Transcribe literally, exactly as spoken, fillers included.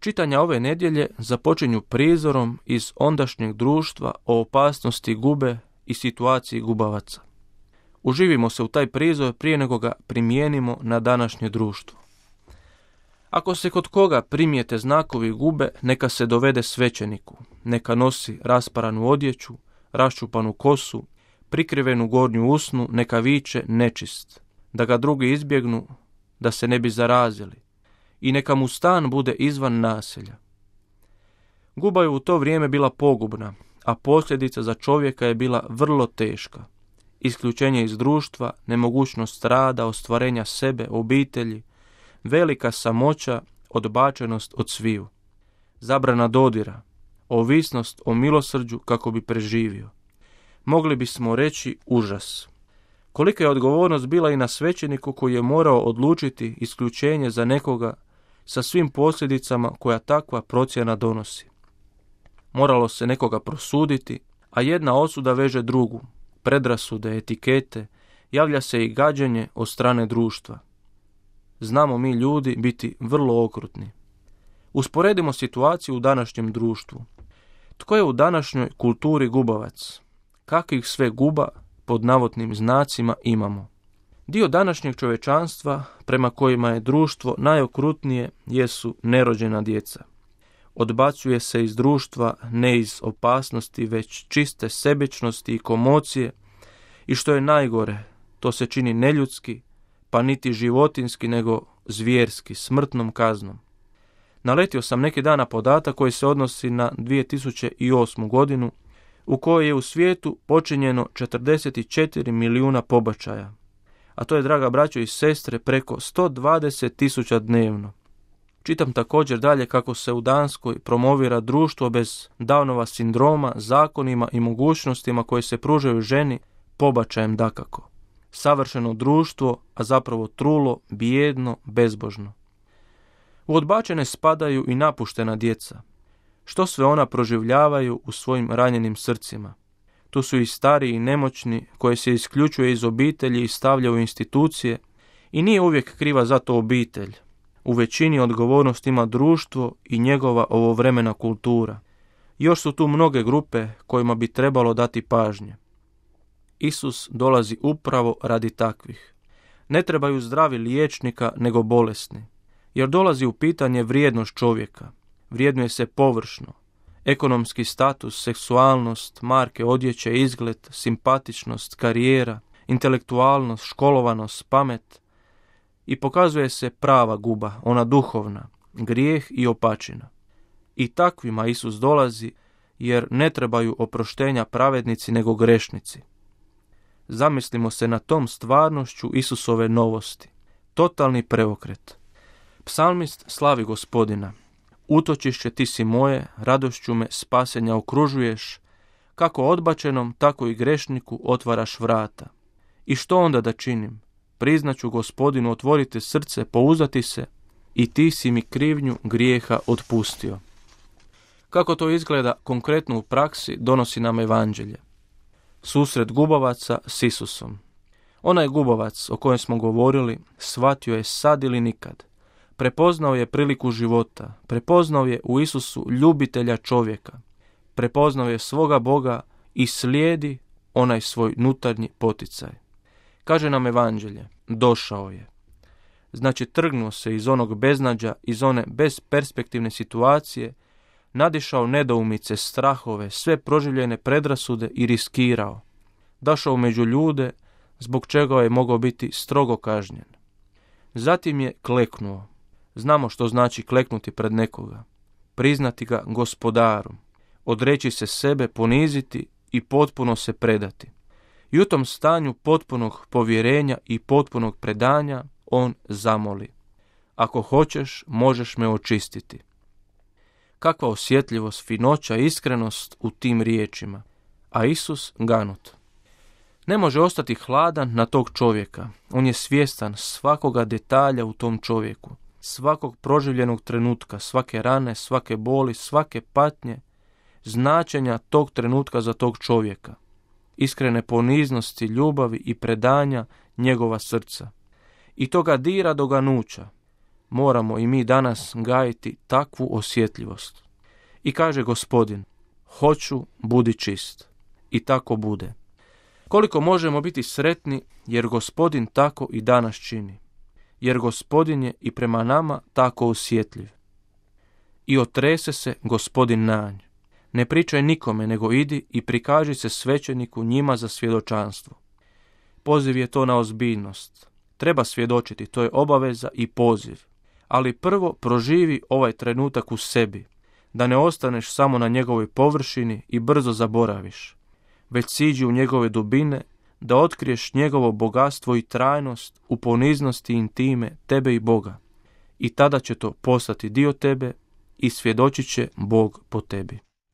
Čitanja ove nedjelje započinju prizorom iz ondašnjeg društva o opasnosti gube i situaciji gubavaca. Uživimo se u taj prizor prije nego ga primijenimo na današnje društvo. Ako se kod koga primijete znakovi gube, neka se dovede svećeniku, neka nosi rasparanu odjeću, raščupanu kosu, prikrivenu gornju usnu, neka viče nečist, da ga drugi izbjegnu, da se ne bi zarazili, i neka mu stan bude izvan naselja. Guba je u to vrijeme bila pogubna, a posljedica za čovjeka je bila vrlo teška. Isključenje iz društva, nemogućnost rada, ostvarenja sebe, obitelji, velika samoća, odbačenost od sviju, zabrana dodira, ovisnost o milosrđu kako bi preživio. Mogli bismo reći užas. Kolika je odgovornost bila i na svećeniku koji je morao odlučiti isključenje za nekoga sa svim posljedicama koja takva procjena donosi. Moralo se nekoga prosuditi, a jedna osuda veže drugu, predrasude, etikete, javlja se i gađenje od strane društva. Znamo mi ljudi biti vrlo okrutni. Usporedimo situaciju u današnjem društvu. Tko je u današnjoj kulturi gubavac? Kakvih sve guba pod navodnim znacima imamo? Dio današnjeg čovječanstva prema kojima je društvo najokrutnije jesu nerođena djeca. Odbacuje se iz društva ne iz opasnosti, već čiste sebičnosti i komocije, i što je najgore, to se čini neljudski, pa niti životinski, nego zvjerski, smrtnom kaznom. Naletio sam neki dan na podatak koji se odnosi na dvije tisuće osmu godinu, u kojoj je u svijetu počinjeno četrdeset četiri milijuna pobačaja, a to je, draga braćo i sestre, preko sto dvadeset tisuća dnevno. Čitam također dalje kako se u Danskoj promovira društvo bez Downova sindroma, zakonima i mogućnostima koje se pružaju ženi, pobačajem dakako. Savršeno društvo, a zapravo trulo, bijedno, bezbožno. U odbačene spadaju i napuštena djeca. Što sve ona proživljavaju u svojim ranjenim srcima. Tu su i stari i nemoćni koje se isključuje iz obitelji i stavlja u institucije, i nije uvijek kriva za to obitelj. U većini odgovornost ima društvo i njegova ovovremena kultura. Još su tu mnoge grupe kojima bi trebalo dati pažnje. Isus dolazi upravo radi takvih. Ne trebaju zdravi liječnika nego bolesni, jer dolazi u pitanje vrijednost čovjeka. Vrijednuje se površno. Ekonomski status, seksualnost, marke odjeće, izgled, simpatičnost, karijera, intelektualnost, školovanost, pamet, i pokazuje se prava guba, ona duhovna, grijeh i opačina. I takvima Isus dolazi, jer ne trebaju oproštenja pravednici nego grešnici. Zamislimo se na tom stvarnošću Isusove novosti. Totalni preokret. Psalmist slavi Gospodina. Utočišće ti si moje, radošću me spasenja okružuješ, kako odbačenom, tako i grešniku otvaraš vrata. I što onda da činim? Priznaću Gospodinu, otvorite srce, pouzdati se, i ti si mi krivnju grijeha otpustio. Kako to izgleda konkretno u praksi, donosi nam evanđelje. Susret gubavaca s Isusom. Onaj gubavac o kojem smo govorili shvatio je sad ili nikad. Prepoznao je priliku života, prepoznao je u Isusu ljubitelja čovjeka, prepoznao je svoga Boga i slijedi onaj svoj nutarnji poticaj. Kaže nam evanđelje, došao je. Znači trgnuo se iz onog beznađa, iz one bezperspektivne situacije, nadišao nedoumice, strahove, sve proživljene predrasude i riskirao. Došao među ljude, zbog čega je mogao biti strogo kažnjen. Zatim je kleknuo. Znamo što znači kleknuti pred nekoga. Priznati ga gospodarom. Odreći se sebe, poniziti i potpuno se predati. I u tom stanju potpunog povjerenja i potpunog predanja on zamoli. Ako hoćeš, možeš me očistiti. Kakva osjetljivost, finoća, iskrenost u tim riječima. A Isus ganut. Ne može ostati hladan na tog čovjeka. On je svjestan svakoga detalja u tom čovjeku. Svakog proživljenog trenutka, svake rane, svake boli, svake patnje, značenja tog trenutka za tog čovjeka. Iskrene poniznosti, ljubavi i predanja njegova srca. I to ga dira do ganuća. moramo i mi danas gajiti takvu osjetljivost. I kaže Gospodin, hoću, budi čist. I tako bude. Koliko možemo biti sretni jer Gospodin tako i danas čini. Jer Gospodin je i prema nama tako osjetljiv. I otrese se Gospodin na nj. Ne pričaj nikome, nego idi i prikaži se svećeniku njima za svjedočanstvo. Poziv je to na ozbiljnost. Treba svjedočiti, to je obaveza i poziv. Ali prvo proživi ovaj trenutak u sebi, da ne ostaneš samo na njegovoj površini i brzo zaboraviš, već siđi u njegove dubine, da otkriješ njegovo bogatstvo i trajnost u poniznosti intime tebe i Boga. I tada će to postati dio tebe i svjedočit će Bog po tebi.